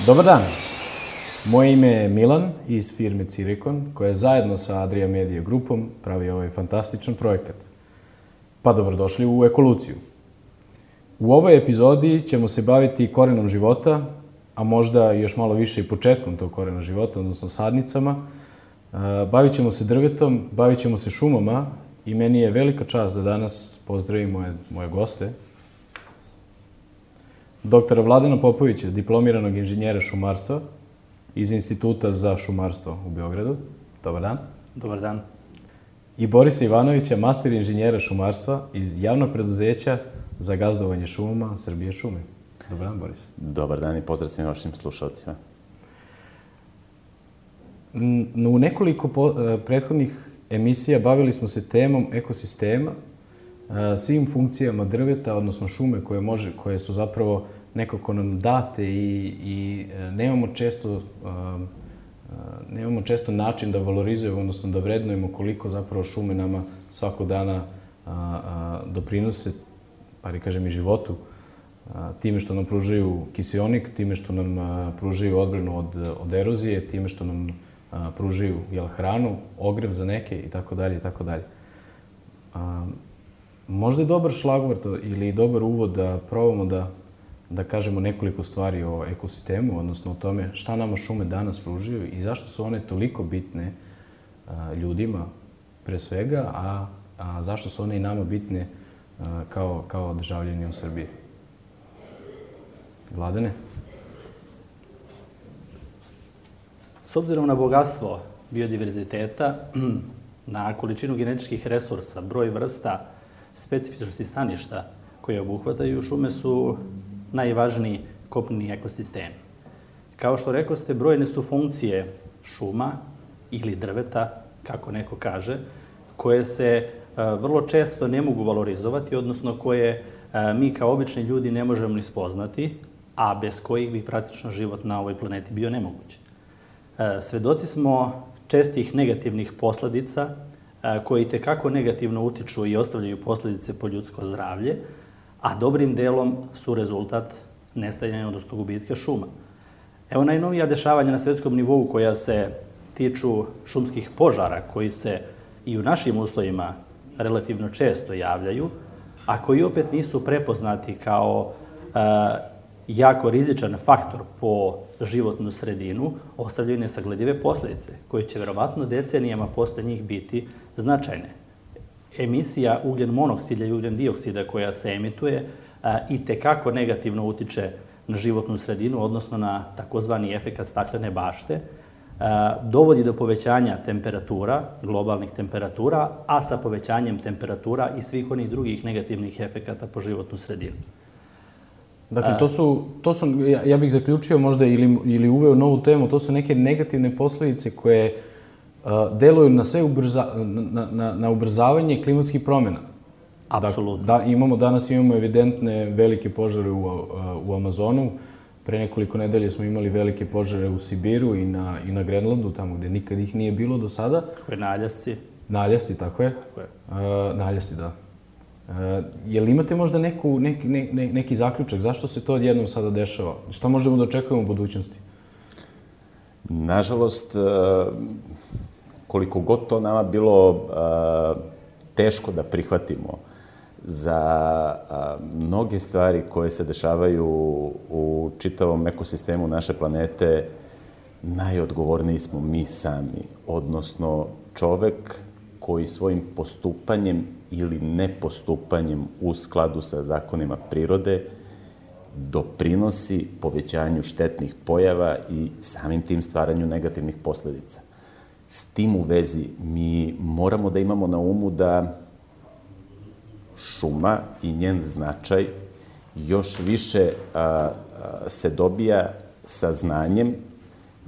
Dobar dan, moje ime je Milan iz firme Cirikon, koja zajedno sa Adria Media grupom pravi ovaj fantastičan projekat. Pa dobrodošli u Ekoluciju. U ovoj epizodi ćemo se baviti korenom života, a možda još malo više i početkom tog korena života, odnosno sadnicama. Bavit ćemo se drvetom, bavit ćemo se šumama i meni je velika čast da danas pozdravim moje goste. Doktora Vladana Popovića, diplomiranog inženjera šumarstva iz Instituta za šumarstvo u Beogradu. Dobar dan. Dobar dan. I Borisa Ivanovića, master inženjera šumarstva iz javnog preduzeća za gazdovanje šumama Srbije šume. Dobar dan, Boris. Dobar dan i pozdrav svim vašim slušalcima. U nekoliko prethodnih emisija bavili smo se temom ekosistema, svim funkcijama drveta, odnosno šume koje su zapravo nekako nam date i nemamo često način da valorizujemo, odnosno da vrednujemo koliko zapravo šume nama svakog dana doprinose, pa i kažem i životu, time što nam pružaju kiseonik, time što nam pružaju odbranu od erozije, time što nam pružaju hranu, ogrev za neke i tako dalje i tako dalje. Možda je dobar šlagvort ili dobar uvod da probamo da kažemo nekoliko stvari o ekosistemu, odnosno o tome šta nama šume danas pružaju i zašto su one toliko bitne ljudima pre svega, a zašto su one i nama bitne kao državljani u Srbiji. Vladane? S obzirom na bogatstvo biodiverziteta, na količinu genetičkih resursa, broj vrsta, specifičnosti staništa koje obuhvataju, šume su najvažniji kopneni ekosistemi. Kao što rekoste, brojne su funkcije šuma ili drveta, kako neko kaže, koje se vrlo često ne mogu valorizovati, odnosno koje mi kao obični ljudi ne možemo ni spoznati, a bez kojih bi praktično život na ovoj planeti bio nemoguć. Svedoci smo čestih negativnih posledica koji itekako negativno utiču i ostavljaju posledice po ljudsko zdravlje, a dobrim delom su rezultat nestajanja, odnosno gubitka šuma. Evo najnovija dešavanja na svetskom nivou koja se tiču šumskih požara, koji se i u našim uslovima relativno često javljaju, a koji opet nisu prepoznati kao jako rizičan faktor po životnu sredinu, ostavljaju nesagledive posledice, koje će verovatno decenijama posle njih biti značajne. Emisija ugljen monoksida i ugljen dioksida koja se emituje itekako negativno utiče na životnu sredinu, odnosno na takozvani efekat staklene bašte, dovodi do povećanja temperatura, globalnih temperatura, a sa povećanjem temperatura i svih onih drugih negativnih efekata po životnu sredinu. Dakle, to su, ja bih zaključio možda ili uveo novu temu, to su neke negativne posledice koje deluju na ubrzavanje klimatskih promjena. Apsolutno. Danas imamo evidentne velike požare u Amazonu. Pre nekoliko nedelje smo imali velike požare u Sibiru i na Grenlandu, tamo gde nikad ih nije bilo do sada. Tako je, naljasci. Naljasci, tako je. Naljasci, da. Jel imate možda neki zaključak? Zašto se to odjednom sada dešava? Šta možemo da očekujemo u budućnosti? Nažalost, koliko god to nama bilo teško da prihvatimo, za mnoge stvari koje se dešavaju u čitavom ekosistemu naše planete, najodgovorniji smo mi sami, odnosno čovek koji svojim postupanjem ili nepostupanjem u skladu sa zakonima prirode doprinosi povećanju štetnih pojava i samim tim stvaranju negativnih posledica. S tim u vezi mi moramo da imamo na umu da šuma i njen značaj još više se dobija sa znanjem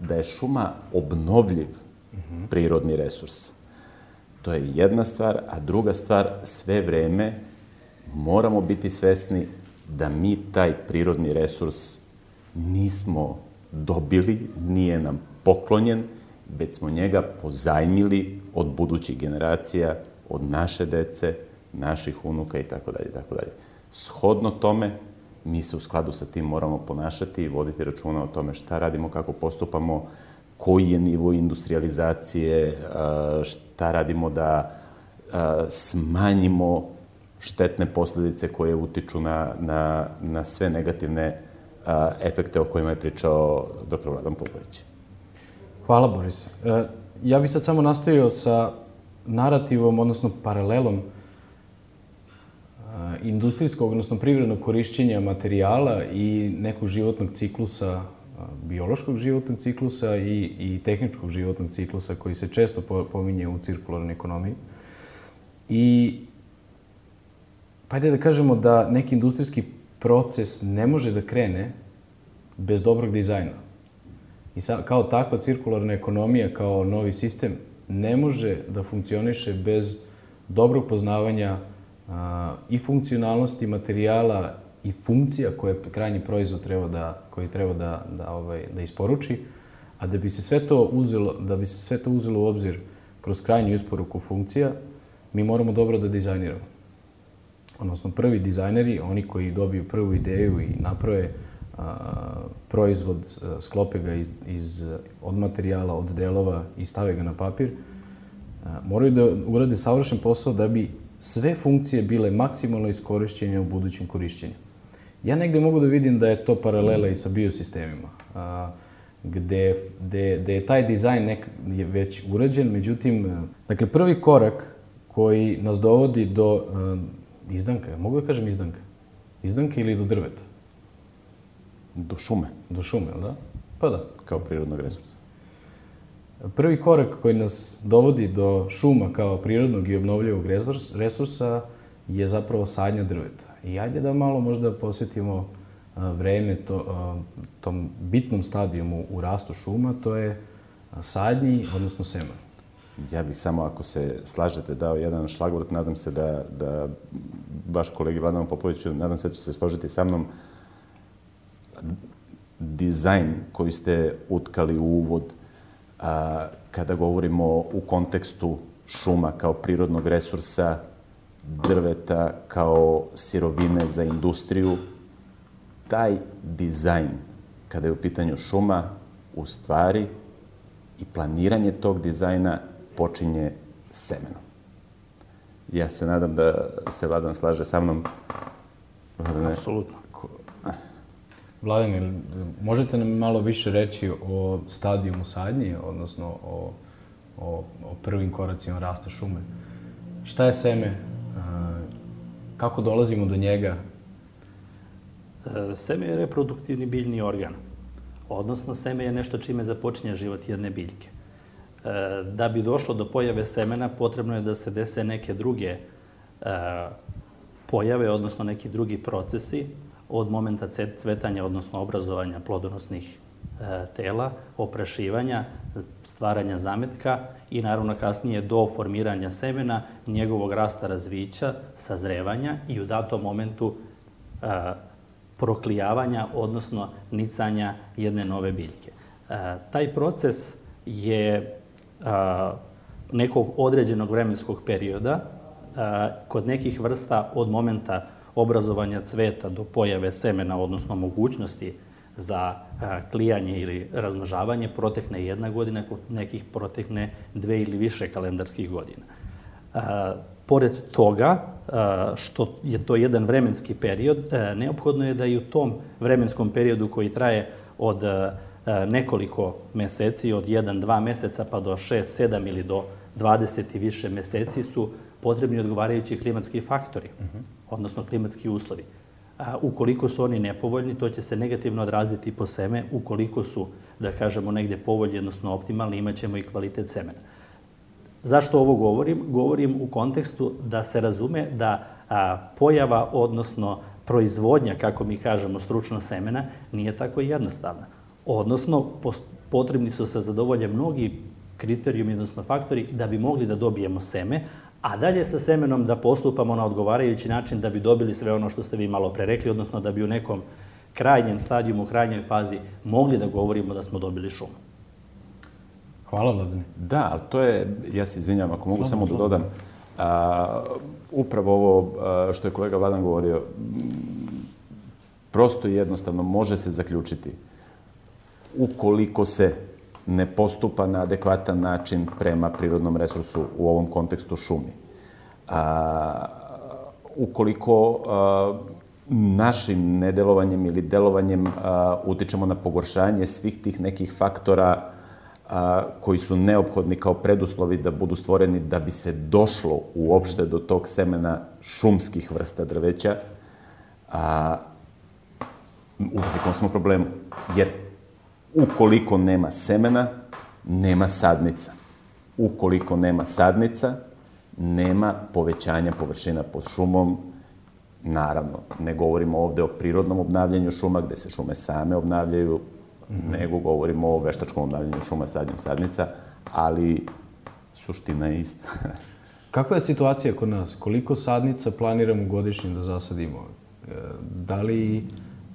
da je šuma obnovljiv prirodni resurs. To je jedna stvar, a druga stvar, sve vreme moramo biti svesni da mi taj prirodni resurs nismo dobili, nije nam poklonjen, već smo njega pozajmili od budućih generacija, od naše dece, naših unuka i tako dalje. Shodno tome, mi se u skladu sa tim moramo ponašati i voditi računa o tome šta radimo, kako postupamo, koji je nivo industrializacije, šta radimo da smanjimo štetne posljedice koje utiču na sve negativne efekte o kojima je pričao dr. Vladan Popović. Hvala, Boris. Ja bih sad samo nastavio sa narativom, odnosno paralelom industrijskog, odnosno privrednog korišćenja materijala i nekog životnog ciklusa, biološkog životnog ciklusa i tehničkog životnog ciklusa koji se često pominje u cirkularnoj ekonomiji. I pa ajde da kažemo da neki industrijski proces ne može da krene bez dobrog dizajna. I kao takva cirkularna ekonomija, kao novi sistem, ne može da funkcioniše bez dobrog poznavanja i funkcionalnosti materijala i funkcija koje krajnji proizvod treba da isporuči, a da bi se sve to uzelo u obzir kroz krajnju isporuku funkcija, mi moramo dobro da dizajniramo. Odnosno, prvi dizajneri, oni koji dobiju prvu ideju i naprave proizvod, sklope ga od materijala, od delova i stave ga na papir, moraju da urade savršen posao da bi sve funkcije bile maksimalno iskorišćene u budućem korišćenju. Ja negde mogu da vidim da je to paralela i sa biosistemima, gde je taj dizajn već urađen, međutim, dakle, prvi korak koji nas dovodi do izdanka, mogu da kažem izdanka? Izdanka ili do drveta? Do šume. Do šume, da? Pa da. Kao prirodnog resursa. Prvi korak koji nas dovodi do šuma kao prirodnog i obnovljivog resursa je zapravo sadnja drveta. I ajde da malo možda posvetimo vreme tom bitnom stadijumu u rastu šuma, to je sadnji, odnosno semen. Ja bih samo, ako se slažete, dao jedan šlagvort. Nadam se da baš kolegi Vladanu Popoviću, nadam se da će se složiti sa mnom. Dizajn koji ste utkali u uvod, kada govorimo u kontekstu šuma kao prirodnog resursa, drveta kao sirovine za industriju, taj dizajn, kada je u pitanju šuma, u stvari i planiranje tog dizajna počinje semenom. Ja se nadam da se Vladan slaže sa mnom. Apsolutno. Vladan, možete nam malo više reći o stadijumu sadnje, odnosno o prvim koracima rasta šume? Šta je seme? Kako dolazimo do njega? Seme je reproduktivni biljni organ. Odnosno, seme je nešto čime započinje život jedne biljke. Da bi došlo do pojave semena, potrebno je da se dese neke druge pojave, odnosno neki drugi procesi od momenta cvetanja, odnosno obrazovanja plodonosnih tela, oprašivanja, stvaranja zametka i naravno kasnije do formiranja semena, njegovog rasta, razvića, sazrevanja i u datom momentu proklijavanja, odnosno nicanja jedne nove biljke. Taj proces je nekog određenog vremenskog perioda, kod nekih vrsta od momenta obrazovanja cveta do pojave semena, odnosno mogućnosti za klijanje ili razmnožavanje, protekne 1 godina, kod nekih protekne 2 ili više kalendarskih godina. Pored toga, što je to jedan vremenski period, neophodno je da i u tom vremenskom periodu koji traje od nekoliko meseci, od 1-2 meseca pa do 6, 7 ili do 20 i više meseci su potrebni odgovarajući klimatski faktori, odnosno klimatski uslovi. Ukoliko su oni nepovoljni, to će se negativno odraziti po seme. Ukoliko su, da kažemo, negde povoljni, odnosno optimalni, imat ćemo i kvalitet semena. Zašto ovo govorim? Govorim u kontekstu da se razume da pojava, odnosno proizvodnja, kako mi kažemo, stručno semena, nije tako jednostavna. Odnosno, potrebni su se zadovolje mnogi kriterijumi, odnosno faktori, da bi mogli da dobijemo seme, a dalje sa semenom da postupamo na odgovarajući način da bi dobili sve ono što ste vi malo pre rekli, odnosno da bi u nekom krajnjem stadijumu, u krajnjoj fazi mogli da govorimo da smo dobili šumu. Hvala, Vladane. Da, ali to je, ja se izvinjam, ako mogu samo da dodam, upravo ovo što je kolega Vladan govorio, prosto i jednostavno može se zaključiti ukoliko se ne postupa na adekvatan način prema prirodnom resursu, u ovom kontekstu šumi. Ukoliko našim nedelovanjem ili delovanjem utičemo na pogoršanje svih tih nekih faktora koji su neophodni kao preduslovi da budu stvoreni da bi se došlo uopšte do tog semena šumskih vrsta drveća, u velikom smo problemu. Jer ukoliko nema semena, nema sadnica. Ukoliko nema sadnica, nema povećanja površina pod šumom. Naravno, ne govorimo ovde o prirodnom obnavljanju šuma, gde se šume same obnavljaju, nego govorimo o veštačkom obnavljanju šuma sadnjom sadnica, ali suština je ista. Kakva je situacija kod nas? Koliko sadnica planiramo godišnje da zasadimo?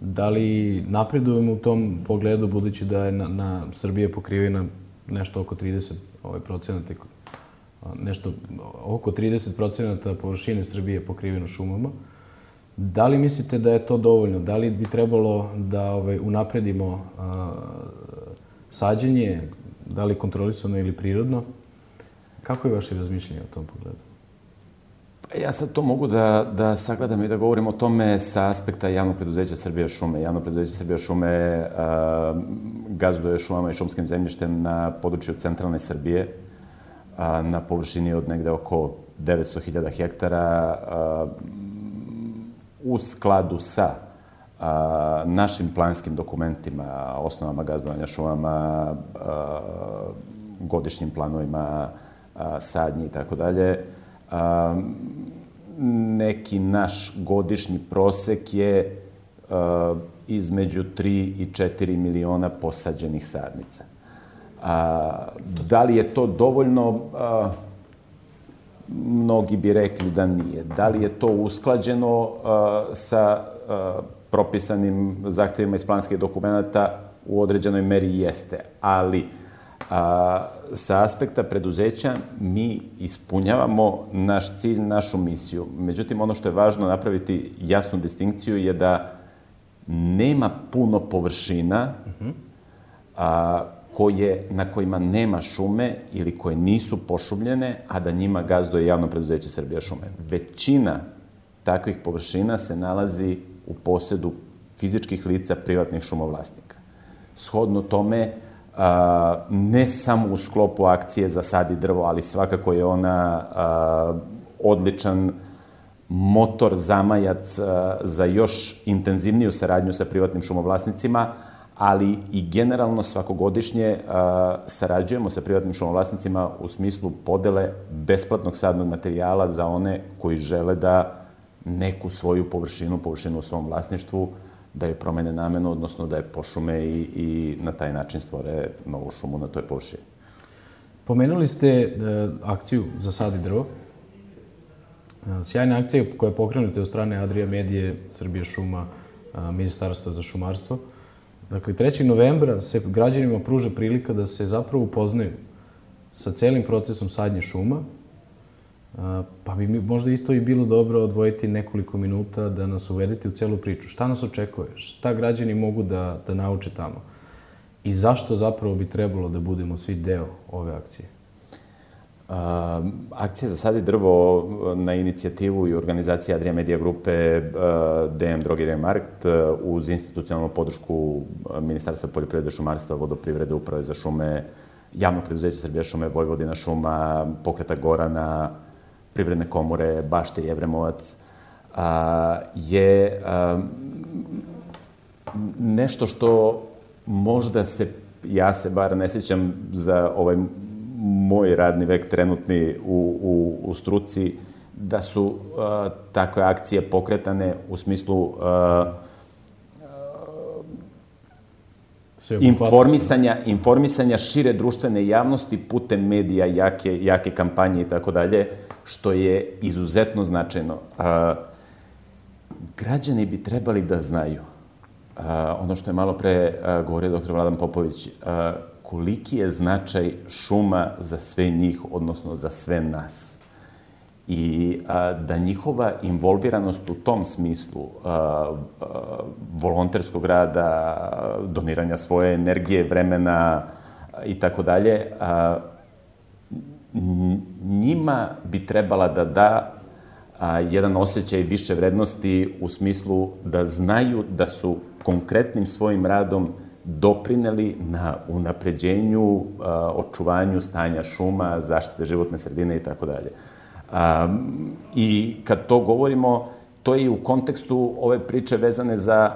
Da li napredujemo u tom pogledu, budući da je na Srbije pokrivena nešto oko 30%, nešto oko 30% površine Srbije je pokriveno šumama? Da li mislite da je to dovoljno? Da li bi trebalo da unapredimo sađenje, da li kontrolisano ili prirodno? Kako je vaše razmišljanje o tom pogledu? Ja sad to mogu da sagledam i da govorim o tome sa aspekta javnog preduzeća Srbija šume. Javno preduzeće Srbija šume gazduje šumama i šumskim zemljištem na području centralne Srbije, na površini od negde oko 900.000 hektara, u skladu sa našim planskim dokumentima, osnovama gazdovanja šumama, godišnjim planovima sadnji i tako dalje. Neki naš godišnji prosek je između 3 i 4 miliona posađenih sadnica. Da li je to dovoljno? Mnogi bi rekli da nije. Da li je to usklađeno sa propisanim zahtevima iz planskih dokumenta? U određenoj meri jeste. Ali sa aspekta preduzeća mi ispunjavamo naš cilj, našu misiju. Međutim, ono što je važno napraviti jasnu distinkciju je da nema puno površina na kojima nema šume ili koje nisu pošumljene, a da njima gazduje javno preduzeće Srbija šume. Većina takvih površina se nalazi u posedu fizičkih lica privatnih šumovlasnika. Shodno tome, ne samo u sklopu akcije Zasadi drvo, ali svakako je ona odličan motor, zamajac za još intenzivniju saradnju sa privatnim šumovlasnicima, ali i generalno svakogodišnje sarađujemo sa privatnim šumovlasnicima u smislu podele besplatnog sadnog materijala za one koji žele da neku svoju površinu u svom vlasništvu, da je promene namenu, odnosno da je pošume i na taj način stvore novu šumu na toj površini. Pomenuli ste akciju Zasadi drvo. Sjajna akcija koja je pokrenuta od strane Adria Medije, Srbija šuma, Ministarstva za šumarstvo. Dakle, 3. novembra se građanima pruža prilika da se zapravo upoznaju sa celim procesom sadnje šuma, pa bi možda isto i bilo dobro odvojiti nekoliko minuta da nas uvedete u celu priču. Šta nas očekuje? Šta građani mogu da nauče tamo? I zašto zapravo bi trebalo da budemo svi deo ove akcije? Akcija Zasadi drvo na inicijativu i organizacije Adria Media grupe DM Drogerija Markt uz institucionalnu podršku Ministarstva poljoprivrede, šumarstva, vodoprivrede, uprave za šume, javnog preduzeća Srbija šume, Vojvodina šuma, Pokreta Gorana, Privredne komore, Bašte i Evremovac, je nešto što možda ja se bar ne sjećam za ovaj moj radni vek trenutni u struci, da su takve akcije pokretane u smislu informisanja šire društvene javnosti putem medija, jake kampanje i tako dalje, što je izuzetno značajno. Građani bi trebali da znaju, ono što je malo pre govorio dr. Vladan Popović, koliki je značaj šuma za sve njih, odnosno za sve nas. i da njihova involviranost u tom smislu volonterskog rada, doniranja svoje energije, vremena i tako dalje, njima bi trebala da da jedan osjećaj više vrednosti u smislu da znaju da su konkretnim svojim radom doprineli na unapređenju, očuvanju stanja šuma, zaštite životne sredine i tako dalje. I kad to govorimo, to je i u kontekstu ove priče vezane za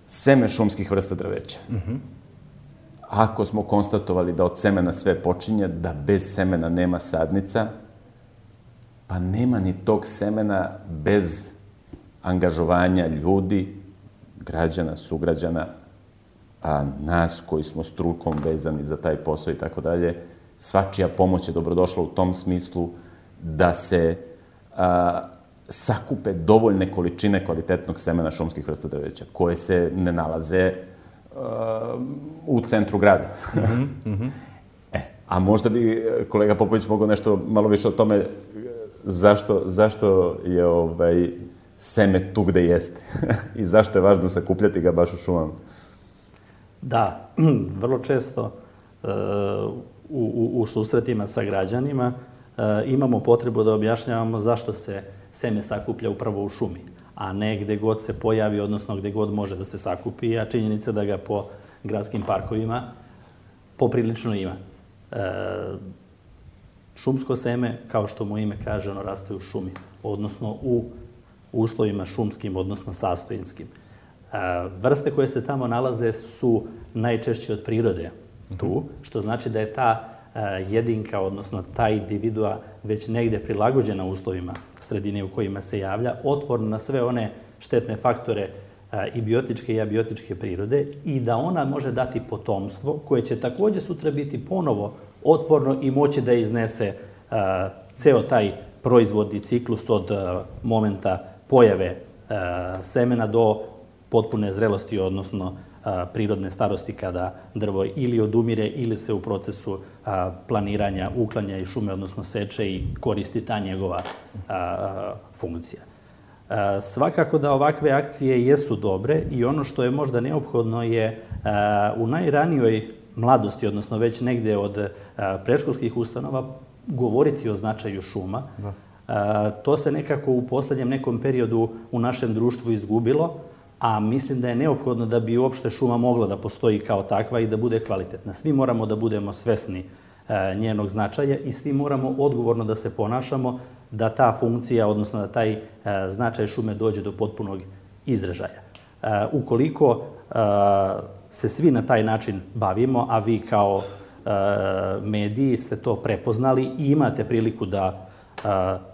seme šumskih vrsta drveća. Ako smo konstatovali da od semena sve počinje, da bez semena nema sadnica, pa nema ni tog semena bez angažovanja ljudi, građana, sugrađana, a nas koji smo strukom vezani za taj posao i tako dalje, svačija pomoć je dobrodošla u tom smislu da se sakupe dovoljne količine kvalitetnog semena šumskih vrsta drveća, koje se ne nalaze u centru grada. A možda bi kolega Popović mogao nešto malo više o tome zašto je seme tu gde jeste i zašto je važno sakupljati ga baš u šumama. Da, vrlo često u susretima sa građanima imamo potrebu da objašnjavamo zašto se seme sakuplja upravo u šumi, a ne gde god se pojavi, odnosno gde god može da se sakupi, a činjenica da ga po gradskim parkovima poprilično ima. Šumsko seme, kao što mu ime kaže, ono raste u šumi, odnosno u uslovima šumskim, odnosno sastojinskim. Vrste koje se tamo nalaze su najčešće od prirode tu, što znači da je ta jedinka, odnosno ta individua već negde prilagođena uslovima sredine u kojima se javlja, otporna na sve one štetne faktore i biotičke i abiotičke prirode i da ona može dati potomstvo koje će takođe sutra biti ponovo otporno i moći da iznese ceo taj proizvodni ciklus od momenta pojave semena do potpune zrelosti, odnosno prirodne starosti kada drvo ili odumire ili se u procesu planiranja, uklanja iz šume, odnosno seče i koristi ta njegova funkcija. Svakako da ovakve akcije jesu dobre i ono što je možda neophodno je u najranijoj mladosti, odnosno već negde od predškolskih ustanova, govoriti o značaju šuma. To se nekako u poslednjem nekom periodu u našem društvu izgubilo, a mislim da je neophodno da bi uopšte šuma mogla da postoji kao takva i da bude kvalitetna. Svi moramo da budemo svesni njenog značaja i svi moramo odgovorno da se ponašamo da ta funkcija, odnosno da taj značaj šume dođe do potpunog izražaja. Ukoliko se svi na taj način bavimo, a vi kao mediji ste to prepoznali i imate priliku da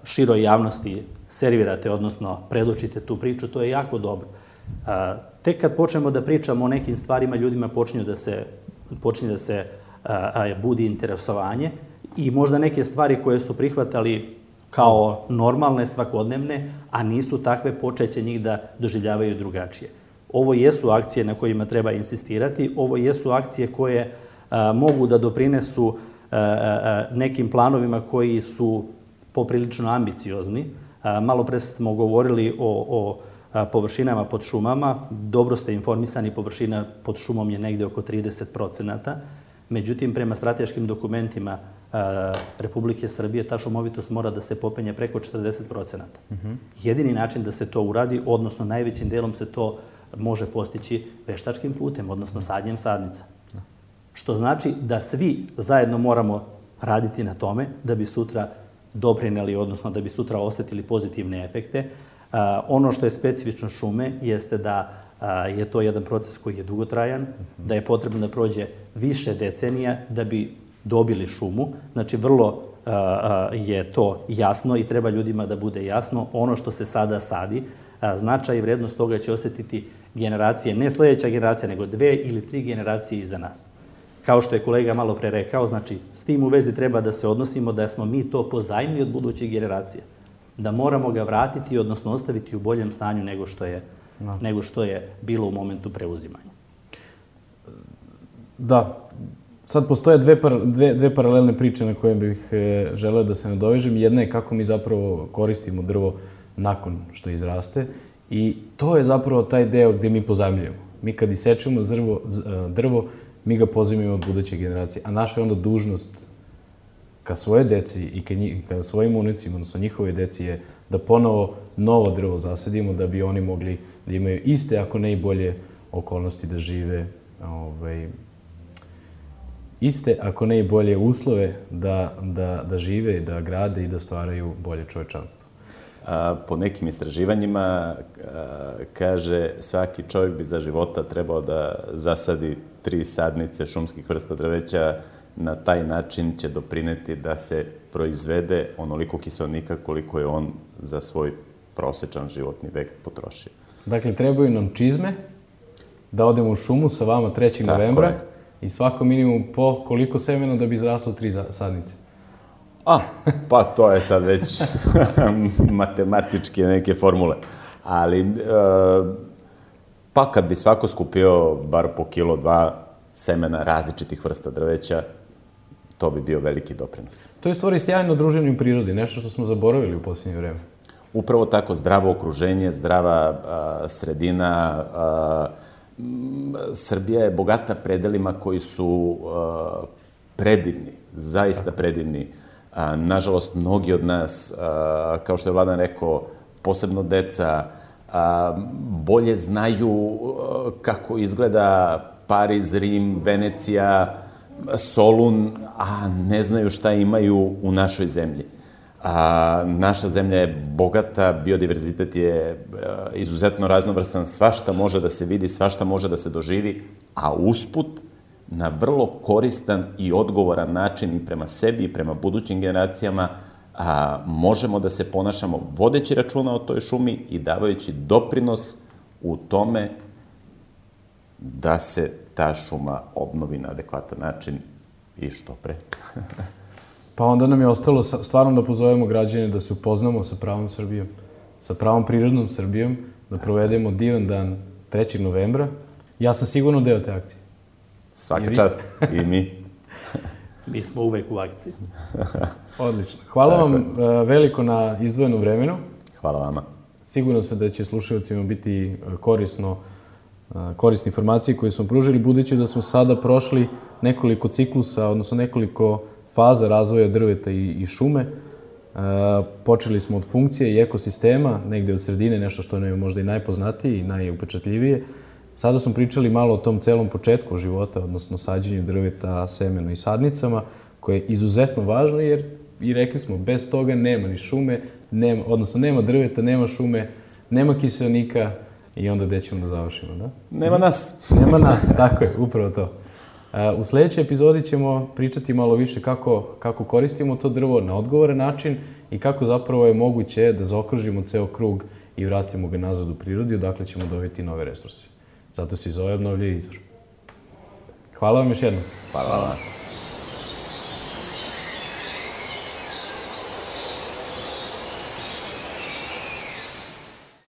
široj javnosti servirate, odnosno predočite tu priču, to je jako dobro. Tek kad počnemo da pričamo o nekim stvarima, ljudima počinje da se budi interesovanje i možda neke stvari koje su prihvatali kao normalne, svakodnevne, a nisu takve, počeće njih da doživljavaju drugačije. Ovo jesu akcije na kojima treba insistirati, ovo jesu akcije koje mogu da doprinesu nekim planovima koji su poprilično ambiciozni. Malo pre smo govorili o površinama pod šumama. Dobro ste informisani, površina pod šumom je negde oko 30%. Međutim, prema strateškim dokumentima Republike Srbije, ta šumovitost mora da se popenje preko 40%. Jedini način da se to uradi, odnosno najvećim delom se to može postići veštačkim putem, odnosno sadnjem sadnica. Što znači da svi zajedno moramo raditi na tome da bi sutra doprineli, odnosno da bi sutra osetili pozitivne efekte. Ono što je specifično šume jeste da je to jedan proces koji je dugotrajan, da je potrebno da prođe više decenija da bi dobili šumu. Znači, vrlo je to jasno i treba ljudima da bude jasno. Ono što se sada sadi, značaj i vrednost toga će osetiti generacije, ne sledeća generacija, nego 2 ili 3 generacije iza nas. Kao što je kolega malo pre rekao, znači, s tim u vezi treba da se odnosimo da smo mi to pozajmili od budućih generacija. Da moramo ga vratiti, odnosno ostaviti u boljem stanju nego što je bilo u momentu preuzimanja. Da, Sad postoje dve paralelne priče na koje bih želeo da se nadovežem. Jedna je kako mi zapravo koristimo drvo nakon što izraste i to je zapravo taj deo gde mi pozajmljujemo. Mi kad isečemo drvo, mi ga pozajmljujemo od buduće generacije, a naša je onda dužnost ka svoje deci i ka svojim unucima, odnosno njihove deci je da ponovo novo drvo zasadimo da bi oni mogli da imaju iste, ako ne i bolje okolnosti da žive, iste, ako ne i bolje uslove da žive, da grade i da stvaraju bolje čovečanstvo. Po nekim istraživanjima kaže svaki čovjek bi za života trebao da zasadi 3 sadnice šumskih vrsta drveća. Na taj način će doprineti da se proizvede onoliko kiseonika koliko je on za svoj prosečan životni vek potrošio. Dakle, trebaju nam čizme da odemo u šumu sa vama 3. novembra i svako minimum po koliko semena da bi izraslo 3 sadnice. Pa to je sad već matematičke neke formule. Ali, pa kad bi svako skupio bar po kilo, 2 semena različitih vrsta drveća, to bi bio veliki doprinos. To je stvari sjajno druženje u prirodi, nešto što smo zaboravili u posljednje vreme. Upravo tako, zdravo okruženje, zdrava sredina. Srbija je bogata predelima koji su predivni, zaista predivni. Nažalost, mnogi od nas, kao što je Vladan rekao, posebno deca, bolje znaju kako izgleda Pariz, Rim, Venecija, Solun, a ne znaju šta imaju u našoj zemlji. Naša zemlja je bogata, biodiverzitet je izuzetno raznovrsan, svašta može da se vidi, svašta može da se doživi, a usput na vrlo koristan i odgovoran način i prema sebi i prema budućim generacijama možemo da se ponašamo vodeći računa o toj šumi i davajući doprinos u tome da se ta šuma obnovi na adekvatan način i što pre. Pa onda nam je ostalo stvarno da pozovemo građane da se upoznamo sa pravom Srbijom, sa pravom prirodnom Srbijom, da provedemo divan dan 3. novembra. Ja sam sigurno deo te akcije. Svaka čast. I mi. Mi smo uvek u akciji. Odlično. Hvala vam veliko na izdvojenom vremenu. Hvala vama. Sigurno sam da će slušalcima biti korisne informacije koje smo pružili, budući da smo sada prošli nekoliko ciklusa, odnosno nekoliko faza razvoja drveta i šume. Počeli smo od funkcije i ekosistema, negde od sredine, nešto što nam je možda i najpoznatije i najupečatljivije. Sada smo pričali malo o tom celom početku života, odnosno sađenju drveta, semenu i sadnicama, koje je izuzetno važno jer, i rekli smo, bez toga nema ni šume, odnosno nema drveta, nema šume, nema kiseonika i onda gde ćemo da završimo, da? Nema nas. Nema nas, tako je, upravo to. U sledećoj epizodi ćemo pričati malo više kako koristimo to drvo na odgovoran način i kako zapravo je moguće da zaokružimo ceo krug i vratimo ga nazad u prirodi, odakle ćemo dobiti nove resurse. Zato se i zove obnovljivi izvor. Hvala vam još jednom. Hvala.